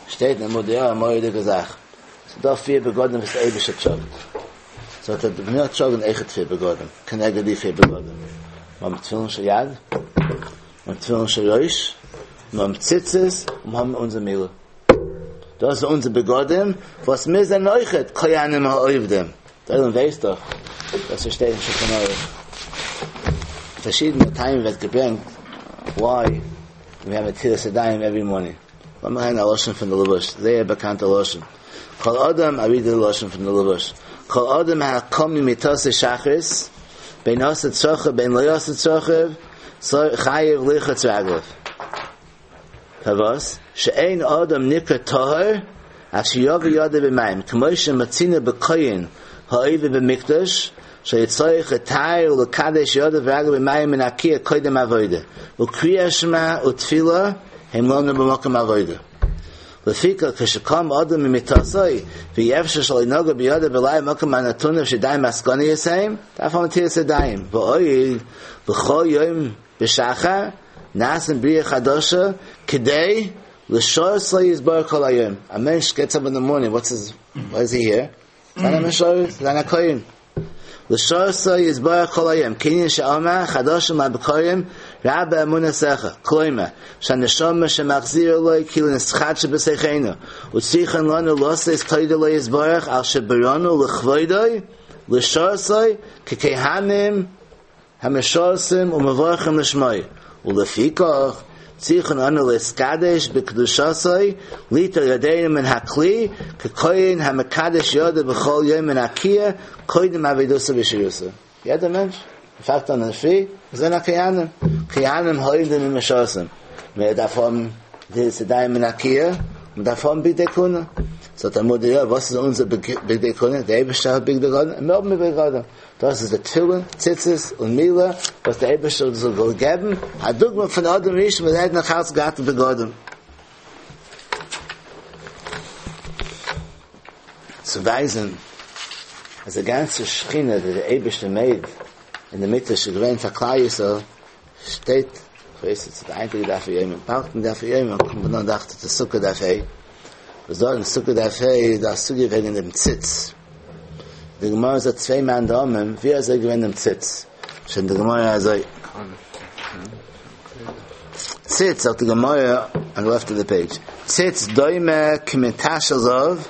שטייט אין המודיע א מורא'דיגע זאך, ס'איז דא פיר בגדים וואס דער אייבערשטער טראגט, סאו האט ער מיר טראגן אויכעט פיר בגדים, כנגד די פיר בגדים, מיר האבן תפילין של יד, מיר האבן תפילין של ראש, מיר האבן ציצית, און מיר האבן אונזער מילה. דאס איז אונזער בגדים, וואס מיר זענען אויכעט כהנים העובדים. דער עולם ווייסט דאך וואס עס שטייט אין שולחן ערוך. פארשידענע טעמים ווערט געברענגט why we have נטילת ידיים every morning. לאמיר הערן א לשון פון די לבוש, זייער באקאנטע לשון. כל אדם, I read the לשון פון די לבוש. כל אדם הקם ממיטתו שחרית, בין עשה צרכיו בין לא עשה צרכיו, חייב לרחוץ רגליו. פארוואס? שאין אדם נקרא טהור עד שיביא ידו במים, כמו שמצינו בכהן העובד במקדש, שהיה צריך לטהר ולקדש ידיו ורגליו במים מן הכיור קודם עבודה, וקריאת שמע ותפילה הם לנו במקום עבודה. לפיכך כשקם אדם ממיטתו ואי אפשר שלא נגע בידו בלילה במקום הנתונה שידיים עסקניות הן, דארף האבן נטילת ידיים. ועוד בכל יום בשחר נעשין בריאה חדשה כדי לשרתו יתברך כל היום. א מענטש gets up in the morning, what's his, why is he here? זיין א משרת, זיין א כהן. לשרתו יתברך כל היום, כענין שאמר חדשים לבקרים רבה אמונתך, כלומר, שהנשמה שמחזירה לו כאילו נתחדשה בתוכנו, וצריכין אנו לתת תודה לו יתברך על שבראנו לכבודו, לשרתו ככהנים המשרתים ומברכים לשמו, ולפיכך צריכין אנו להתקדש בקדושתו ליטול ידינו מן הכלי ככהן המקדש ידו בכל יום מן הכיור קודם עבודתו ושירותו. יעדער מענטש פאנגט אן אינדערפרי זענען א כהנים, כהנים העובדים ומשרתים, מען דארף האבן נטילת ידיים מן הכיור, מען דארף האבן בגדי כהונה. זאגט המודיע, וואס איז אונזער בגדי כהונה? דער אייבערשטער האט בגדי כהונה, און מיר האבן בגדי כהונה. דאס איז די תפילין, ציצית און מילה וואס דער אייבערשטער זאל געבן, א דוגמא פון אדם הראשון וואס ער האט נאך אלץ געהאט בגדים. צו ווייזן אז די גאנצע שכינה וואס דער אייבערשטער made אין די מקדש איז געווען פאר כלל ישראל, שטייט, כ'ווייס נישט צו די היינטיגע דף היומי, באלד אין דף היומי קומט מען אן דאכט זיך די סוכה דף ה', וואס דארט אין סוכה דף ה' איז דא א סוגיא וועגן דעם ציץ, די גמרא זאגט צוויי מאן דאמרים ווי אזוי איז געווען דעם ציץ, Schon the Gemara azoi. Tzitz of the Gemara on the left of the page. Tzitz doime k'mitashel zov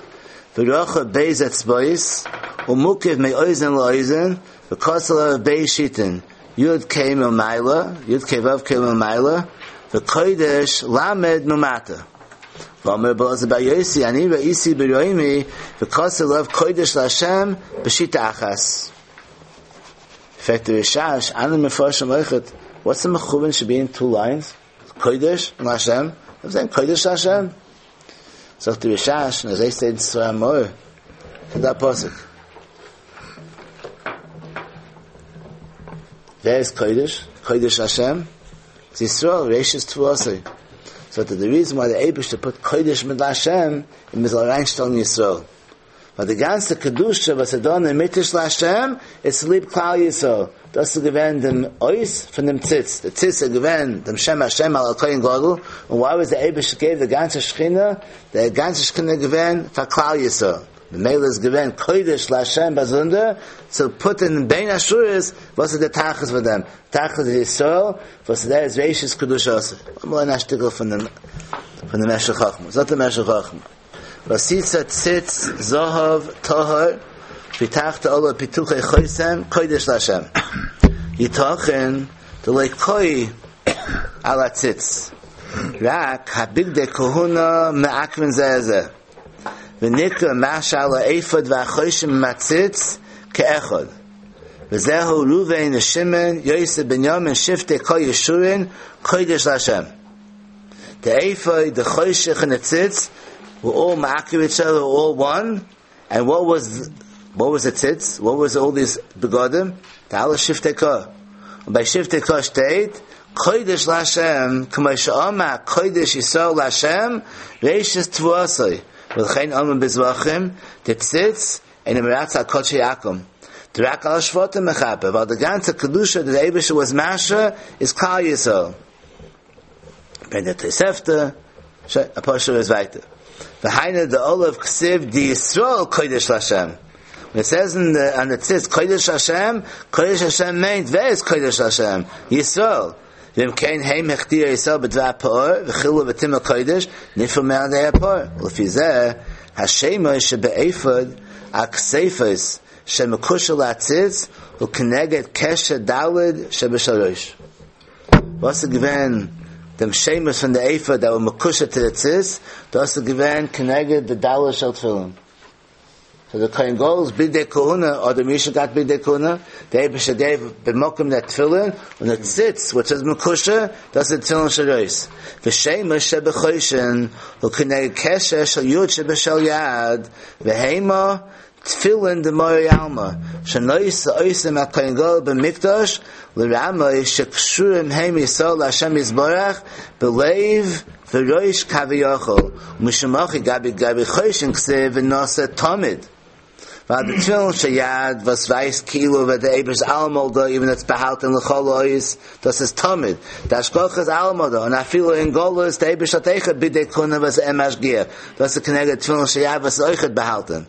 v'rocha beis etzbois u'mukiv me'oizen la'oizen v'kosel beis shitin yud kei milmaila yud kei vav kei milmaila v'kodesh lamed mumata. V'omer b'oz b'yosi ani ra'isi b'roimi v'kosel of kodesh la'Hashem b'shita achas. In fact, the Rishash, Anim Mefarshim Leichet, what's the mechuvin should be in two lines? Kodesh and Hashem. I'm saying Kodesh Hashem. So the Rishash, and as they say in Tzra Amor, to that pasuk. There's Kodesh, Kodesh Hashem. It's Yisrael, Reishis Tvuasei. So that the reason why the Eibush to put Kodesh mit Hashem in Mizal Reinstein Yisrael. But the ganze Kedusha was done in Mitish Lashem, it's Lib Klal Yisrael. Das ist gewesen dem Ois von dem Tzitz. The Tzitz ist gewesen dem Shem Hashem al Kohen Gadol. And why was the Eibush gave the ganze Shechina? The ganze Shechina gewesen for Klal Yisrael. The Mele is gewesen Kodesh Lashem Bazunder. So put in Bein Ashuris, was is the Tachas for them? Tachas is Yisrael, was there is Reishis Kedusha. I'm going to ask from the from the Meshech Chachma. It's not the Meshech Chachma. Vasitza tzitz zohav tohar pitachta ola pituche choisem kodesh lashem. Yitochen the leikoi ala tzitz. Rak habigde kohuna me'akvin zeh. V'nikra masha ala ephod v'achoshim matzitz ke'echod. V'zehu Ruvain v'Shimon Yosef ben Yamin shifte kol Yeshurin kodesh lashem. The ephod, the choshech and the tzitz were all ma'akiv each other, were all one. And what was what was the tzitz? What was all these begodim? The ala shiftei ka. And by shiftei ka state, kodesh lashem, k'may she'ama, kodesh Yisrael lashem, reishis tvuasoi. V'chein omen bizvachim, the tzitz, and the meratz al kodesh yakum. The rak al shvotim mechaper. While the ganze kedusha that the Eibush was masha is Klal Yisrael. Ben the Tosefta, a pasha is weiter. The Haina the Olav Ksiv di Yisrael Kodesh Lashem. When it says in the on the tzitz Kodesh Hashem, Kodesh Hashem means where is Kodesh Hashem? Yisrael. V'im kein heim hechtir Yisrael b'dvar pa'or v'chilu v'tim kodesh nifel me'adei ha'pa'or. L'fi zeh Hashem shebe'ephod akseifos shemekushel la'tzitz u'keneged keshe dalid shebeshalosh. What's the given? Dem shemus from the ephod that were mekusha to the tzitz, das is given keneged the daled shel tefillin. So the Kohen Gadol's bidei kohuna, or the Misha got bidei kohuna, the Eibush gave b'mokim that tefillin, and the tzitz, which is mekusha, das is tefillin sharois. The shemus shebechoshen, hu keneged keshe shel yud shebeshel yad, v'heima, tefillin d'mor yalma, shenois oisim ha-Kohen Gadol b'mikdash, l'ramoi shekshurim heim Yisrael l'Hashem Yisborach, b'leiv v'roish kaviyachol, u'mishamachi gabi gabi choshen ksiv v'nasa tamid. Weil the tefillin sheyad was weiß kilo ve der Ebers allemal da, even it's behalten l'chol ois, das ist tamid. Der Ashkoch ist allemal da, und afilo in Golus, der Ebers hat eichet bidei kuna was em ashgier. Das ist keneged tefillin sheyad was eichet behalten.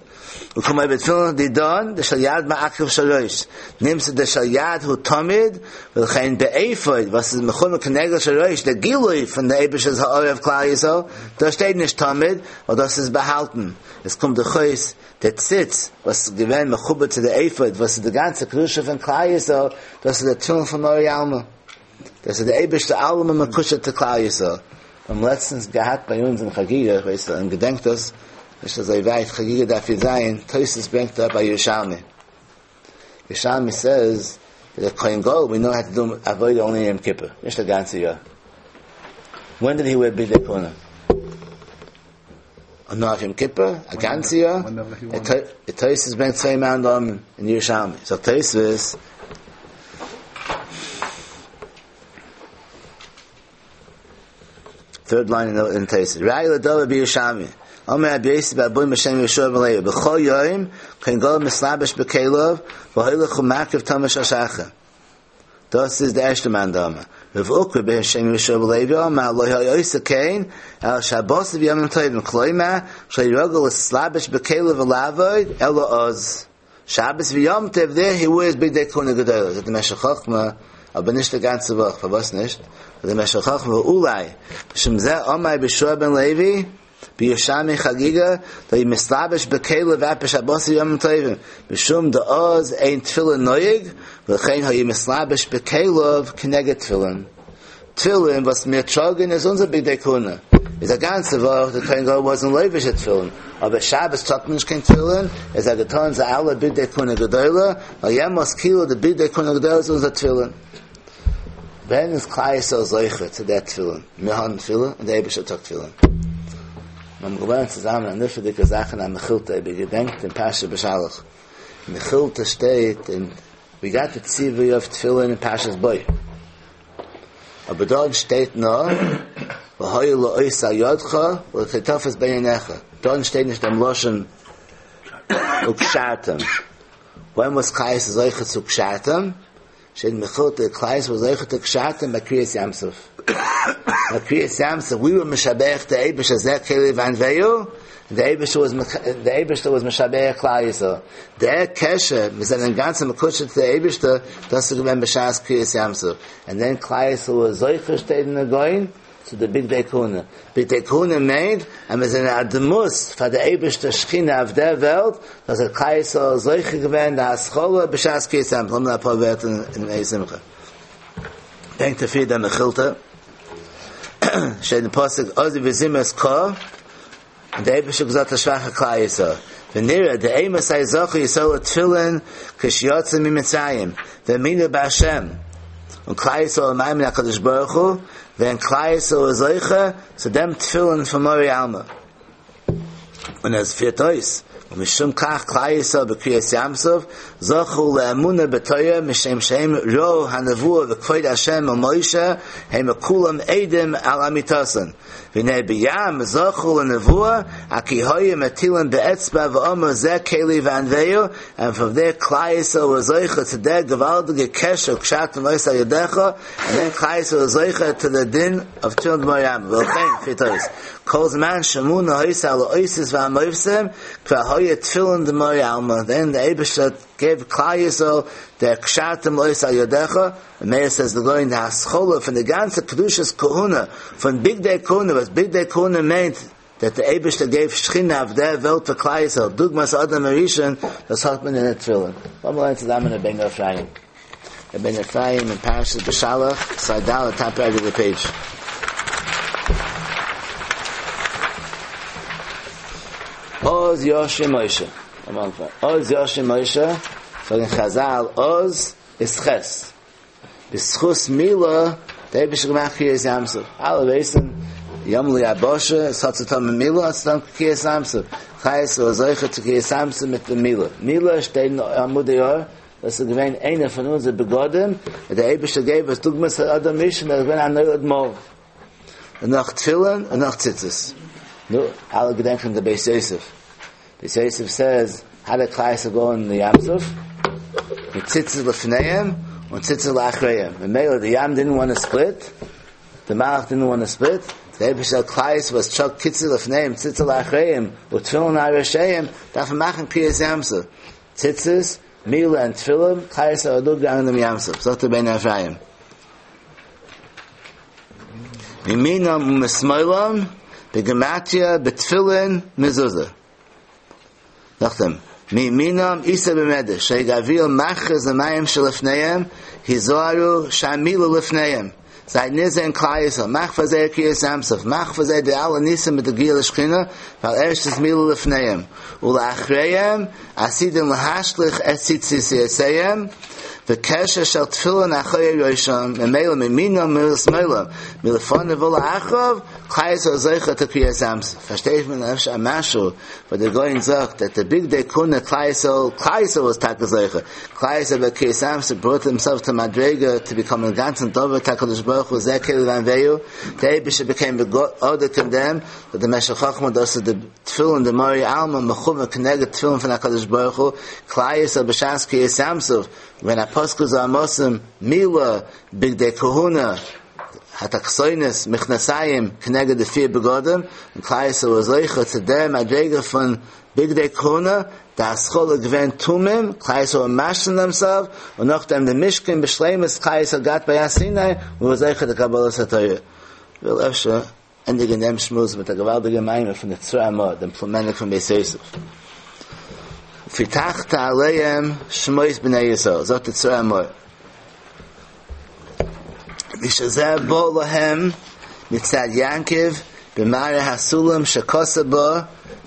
Und komm bei tefillin di don, der sheyad ma'akiv shalosh. Nimmst der sheyad hu tamid, weil kein be'efoid, was ist mechum keneged shalosh, der Gilui von der Ebers ist ha'orev Klal Yisrael, da steht nicht tamid, weil das ist behalten. Es kommt der Chois, der Tzitz, was gewähnt mechuber zu der Ephod, was ist die ganze Kedusha von Klal Yisrael, das ist der Tefillin von Mor Yalma. Das ist der Ebish der Alma mekusha zu Klal Yisrael. Am letztens gehabt bei uns in Chagiga, weißt du, und gedenkt das, nicht so weit, Chagiga darf hier sein, Tosis bringt da bei Yerushalmi. Yerushalmi says, that the Kohen Gadol, we know how to do avodah only in Yom Kippur, nicht the ganze year. When did he wear Bidei Kohuna? On Yom Kippur, a ganze year, the Tosis bringt zwei Mann in Yerushalmi. So Tosis, third line in the in Tosis, Rai l'dova b'Yerushalmi. Omer Rabbi Yossi b'Abuy Mashem Yeshua ben Levi. B'chol yoyim kohen gadol mislabesh b'kelov v'hoylech u'makiv tamash hashacha. Das ist der erste Mann da. Rav Ukra b'Hashem Yeshua ben Levi Omar lo ha'yoyse kein el Shabbos v'yomim tovim kloima shleirogel islabesh b'kelov v'lavoid elo oz. Shabbos v'Yom Tov, there he wears Bigdei Kuna Gedolah. That the Meshech Chochma, aber nicht die ganze Woche. Was nicht? The Meshech Chochma, Ulai, B'Shem Zeh Omai B'Shua ben Levi, B'Yoshami Chagiga, that he mislabish b'Kelev at b'Shabbos Yom Tovim. B'Shum da'oz ein tefillin noyig, v'chein hayi mislabish b'Kelev k'neged tefillin. Tefillin, was mir tragen, is unser Bigdei Kuna. Is a ganze Woche, the Kohen Gadol wasn't leivish at tefillin. Aber Shabbos tragt man nicht kein Tefillin, is a getan ze alle Bigdei Kuna Gedolah, weil Yemos Kilo, the Bigdei Kuna Gedolah is unser Tefillin. Wenn es Klai Yisrael Zeicher zu der Tefillin, wir haben Tefillin, und der Eibischter tragt Tefillin. Wir haben gelernt zusammen an nifferdige Sachen an Mechilta, wir gedenkt in Pasha B'Shalach. Mechilta steht, in, we got the Tzivui of Tefillin in Pasha's Boy. Aber dort steht noch, V'hoyu lo'oisa yodcha, v'chetofes be'yenecha. Dort steht nicht am Loshen ukshartem. When was Klai Yisrael Zeicher zu Kshartem? Steht in Mechilta, Klai Yisrael Zeicher zu Kshartem bei Kriyas Yamsuf. Bei Kriyas Yamsuf, we were Meshabech the Eibush Zeh Keli Vanveyu, the Eibush was the Eibush was Meshabech Klai Yisrael. Der Keshe, mit seinem ganzen Mekushe to the Eibush, das ist gewesen B'Shas Kriyas Yamsuf. And then Klai Yisrael was Zeicher steht in the Goin, to the Bigdei Kuna. Bigdei Kuna made, and was in Adamus, for the Eibush the Shechina of der Welt, dass er Klai Yisrael Zeicher gewesen, der Haschola B'Shas Kriyas Yamsuf. Lass mal ein paar Wörter in, in Simcha. Denkt dafür der Mechilta. Steht in Pasuk, Ozi v'zimas ka, und der Eibush gesagt, der schwache Klai Yisrael. V'nira, der Eimus ha'yizochu Yisrael tefillin, k'shiyotze mi-Mitzrayim, v'minu b'Hashem. Und Klai Yisrael ma'im HaKadosh Baruch Hu, wenn Klai Yisrael zeiche, zu dem Tefillin von Mori Alma. Und es führt aus, und mishum kach Klai Yisrael b'Kriyas Yamsuf, zochu le'emuna b'toya, mishem shem ro hanavua v'kvoid Hashem o Moshe, heim kulam edim al amitasan. V'nei b'yam zochu le'navua, aki hoye metilim be'etzba v'omer zeh keli v'anveyu, and from there Klai Yisrael was zeicha to der gewaltige kesher kshat v'ois ha'yodecha, and then Klai Yisrael was zeicha to the din of Tefillin D'Mori Alma. V'ochein, fitois. Kol zman shemuna hoisa la'oisis v'amoivsem, kva hoye tefillin d'mori alma. Then the Eibishter gave Klai Yisrael the kshatim lois al yodecha. The Meir says the going the haschola from the ganze kedushas kohuna from Bigdei Kuna was Bigdei Kuna meant that the Eibishter gave Shechina of der Welt for Klai Yisrael. Dugmas Adam Arishan das hat man in der Tefillin. One more zusammen in Ben Ephraim. Ben Ephraim in Parashas B'Shalach, Saidal, top right of the page. Oz Yoshe Moshe. Oz Yoshe Moshe. So in Chazal, Oz is Ches. B'schus Mila, the Eibush gemacht Kriyas Yamsuf. Alle wissen, Yom Li Aboshe, es hat zu tun mit Mila, es hat zu tun mit Kriyas Yamsuf. Chayes war solche zu Kriyas Yamsuf mit der Mila. Mila steht in Amud Yor, das ist gewesen einer von unseren Begodim, der Eibush gave, was Dugmas Adam Rishon, der gewesen ein Neulad Mol. Und nach Tefillin, und nach Tzitzis. No, alle gedenken der Beis Yosef. Beis Yosef says, how did Klai Yisrael go in the Yamsuf? With tzitzis lefneim und tzitzis lachreim. And Mela, the Yam didn't want to split. The Malach didn't want to split. The Eibush Klai Yisrael was chok tzitzis lefneim, tzitzis lachreim, with tefillin arasheim, darf machen Kriyas Yamsuf. Tzitzis, Mila and Tefillin, Klai Yisrael are down in the Yamsuf. Sagt der Ben Ephraim. Miminam u'mismoilam, begematria, betfillin, mezuzah. Nachdem. Miminam isa b'medesh, shegavil machaz l'mayim shelefneim, hizoaru shamilu lefneim. Zay nize in Klai Yisrael, mach v'zeh Kriyas Yamsuf, mach v'zeh de alle nisim mit der Gil Shechina, weil erst ist milu lefneim. Ula'achreim, asidim l'hashlich et tzitzis yeseyem, v'kesher shel tefillin achoy yosham, memela miminam milismela, milefon v'la'achov, Klai Yisrael zeicha to Kriyas Yamsuf. Versteht man efshe amashu, but the going sagt that the Bigdei Kuna Klai Yisrael, Klai Yisrael was taka zeicha. Klai Yisrael by Kriyas Yamsuf brought himself to Madrega to become a ganzen Dover HaKadosh Baruch Hu Zeh Keli Vanveyu. The Eibush became the God order condemned, but the Meshech Chochma does the tefillin, the Mori Alma, Mechuva Keneged tefillin from HaKadosh Baruch Hu, Klai Yisrael b'Shas Kriyas Yamsuf, when Apostle Amosim, Mila, Bigdei Kahuna, התחתונות מכנסיים כנגד די פיר בגדים, און כלל ישראל איז זוכה צו דער מדריגה פון בגדי כהונה, די התחלה געווען תומים, כלל ישראל משלים themselves, און נאכדעם די משכן בשלימות כלל ישראל געהאט ביי הר סיני, און זוכה די קבלת התורה. וויל אפשר ענדיגן דעם שמועס מיט א געוואלדיגע מאמר פון די צרור המאור, דעם פלומעניק פון בית יוסף. ופיתחת עליהם שמות בני ישראל, זאגט די צרור המאור. ושזה בא להם מצד יעקב במראה הסולם שכסה בו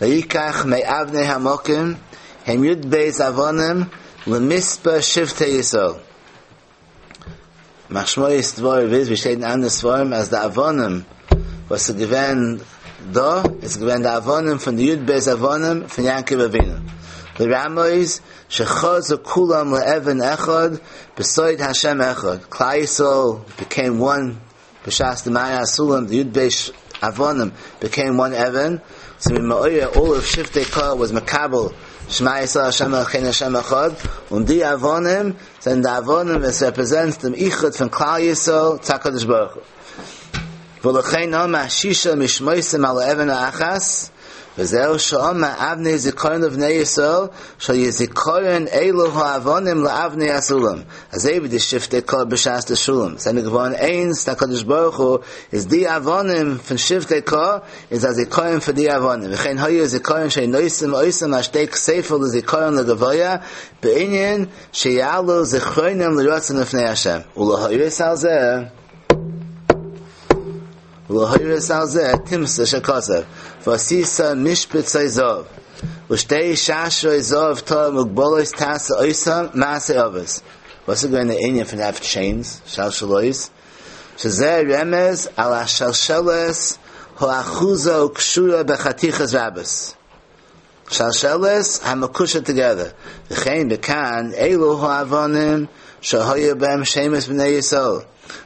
ויקח מאבני המקום הם י"ב אבנים למספר שבטי ישראל. משמעות דברים איז, ווי שטייט אין אנדערע ספרים, אז די אבנים וואס איז געווען דא, איז געווען די אבנים פון די י"ב אבנים פון יעקב אבינו. לרמוז שחזו כולם לאבן אחד בסוד השם אחד. כלל ישראל became one בשעת די מראה הסולם, די י"ב אבנים became one אבן. So מעורר, all of שבטי קה was מקבל שמע ישראל השם אלוקינו השם אחד. און די אבנים זענען די אבנים וואס represents דעם איחוד פון כלל ישראל צו הקדוש ברוך הוא. ולכן אמר שישה משמותם על האבן האחת וזהו שאמר אבני זיכרון לבני ישראל שהיו זיכרון אלו האבנים לאבני הסולם אזוי ווי די שבטי קה בשעת די סולם זענען געווארן איינס הקדוש ברוך הוא איז די אבנים פון שבטי קה איז א זיכרון פאר די אבנים וכן היה זיכרון שנושאים אותם על שתי כתפיו לזיכרון לגבוה בעניין שיעלו זיכרונם לרצון לפני השם ולהורות על זה ולהורות על זה תמצא שכתב ועשית משבצות זהב ושתי שרשרות זהב טהור מוגבלות תעשה אותם מעשה אבות וואס איז געווען דער ענין פון have chains שלשלאות שזה רמז על השלשלת האחוזה וקשורה בחתיכות רבות שלשלת המקושר together וכן בכאן אלו האבנים שהיו בהם שמות בני ישראל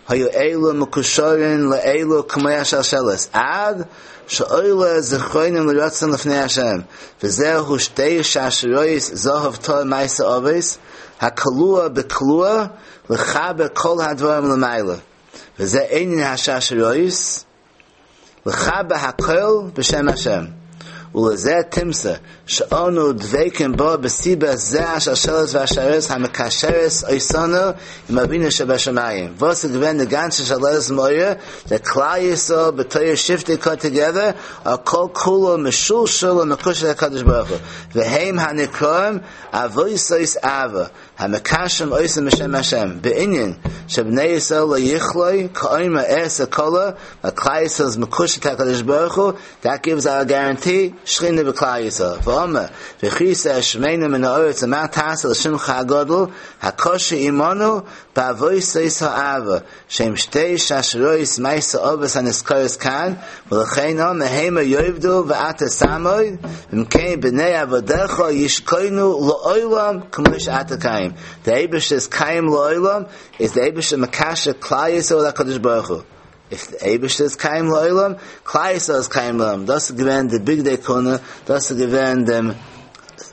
היו אלו מקושרים לאלו כמו השלשלת עד שעולה זכרונם לרצון לפני השם וזהו שתי שרשרות זהב טהור מעשה אבות הקלוע בקלוע לחבר כל הדברים למעלה וזה עניין השרשרות לחבר הכל בשם השם ולזה תמצא שאנו דבקים בו בסיבה זה השלשלת והשרשרת המקשרת אותנו עם אבינו שבשמיים. וואס איז געווען די גאנצע שלשלת מעורר, the כלל ישראל בתור שבטי קה together, הכל כולו משולשל ומקושר לקדוש ברוך הוא. והם הנקראים עבותות אהבה, המקשרים אותם בשם השם. בעניין שבני ישראל לא יכלו כאומר אעשה כלה, וכלל ישראל איז מקושר הקדוש ברוך הוא, that gives our guarantee, שכינה בכלל ישראל. ואומר, והכרית את שמנו מן הארץ, ומה תעשה לשמך הגדול, הקשר עמנו בעבותות האהבה, שהם שתי שרשרות מעשה אבות הנזכרות כאן, ולכן אמר המה יאבדו ואתה תעמוד, ואם כן בני עבדיך ישכונו לעולם כמו שאתה קיים. The אייבערשטער is קיים לעולם, is the אייבערשטער מקשר כלל ישראל הקדוש ברוך הוא. If the אייבערשטער איז קיים לעולם, כלל ישראל איז קיים לעולם. דאס איז געווען די בגדי כהונה, דאס איז געווען דעם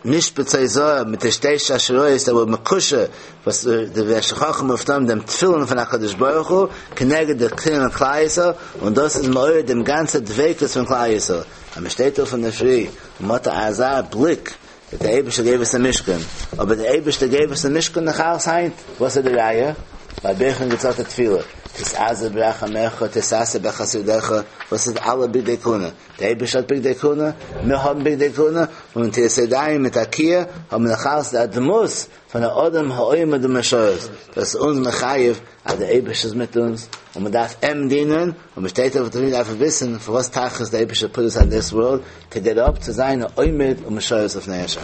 משבצות זהב מיט די שתי שרשרות that were מקושר וואס די ושכחם אויף דעם תפילין פון הקדוש ברוך הוא כנגד די תפילין כלל ישראל און דאס איז מעורר דעם גאנצע דביקות פון כלל ישראל. אז מען שטייט אויף אין דער פרי און מ'האט אזא בליק that the אייבערשטער gave us a משכן. אבער דער אייבערשטער gave us a משכן נאך אלץ היינט. וואס איז די ראיה? ביי ברכן געצאלט תפילה. תתאזר ברחמיך, תתעשר בחסדיך, וואס איז אלע בגדי כהונה? דער אייבערשטער האט בגדי כהונה, מיר האבן בגדי כהונה, און נטילת ידיים מיט תקיעה האבן נאך אלץ די דמות פון דער אדם העומד ומשרת. דאס איז אונז מחייב, אז דער אייבערשטער איז מיט אונז, און מען דארף אים דינען, און מען שטייט אויף דער דארף וויסן, פאר וואס תכלית דער אייבערשטער put us on this world, to get up, צו זיין עומד ומשרת לפני השם.